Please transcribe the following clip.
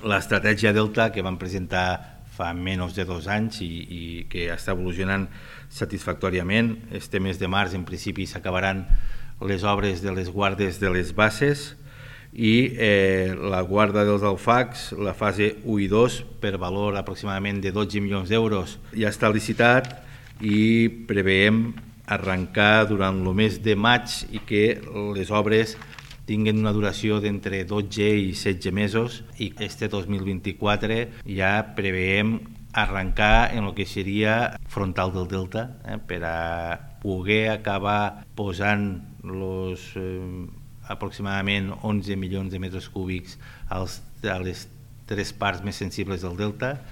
L'estratègia Delta que vam presentar fa menys de 2 anys i que està evolucionant satisfactòriament. Este mes de març, en principi, s'acabaran les obres de les guardes de les basses i la guarda dels alfacs, la fase 1 i 2, per valor aproximadament de 12 milions d'euros, ja està licitat i preveiem arrencar durant el mes de maig i que les obres tinguen una duració d'entre 12 i 16 mesos i este 2024 ja preveiem arrencar en el que seria frontal del Delta per a poder acabar posant aproximadament 11 milions de metres cúbics a les 3 parts més sensibles del Delta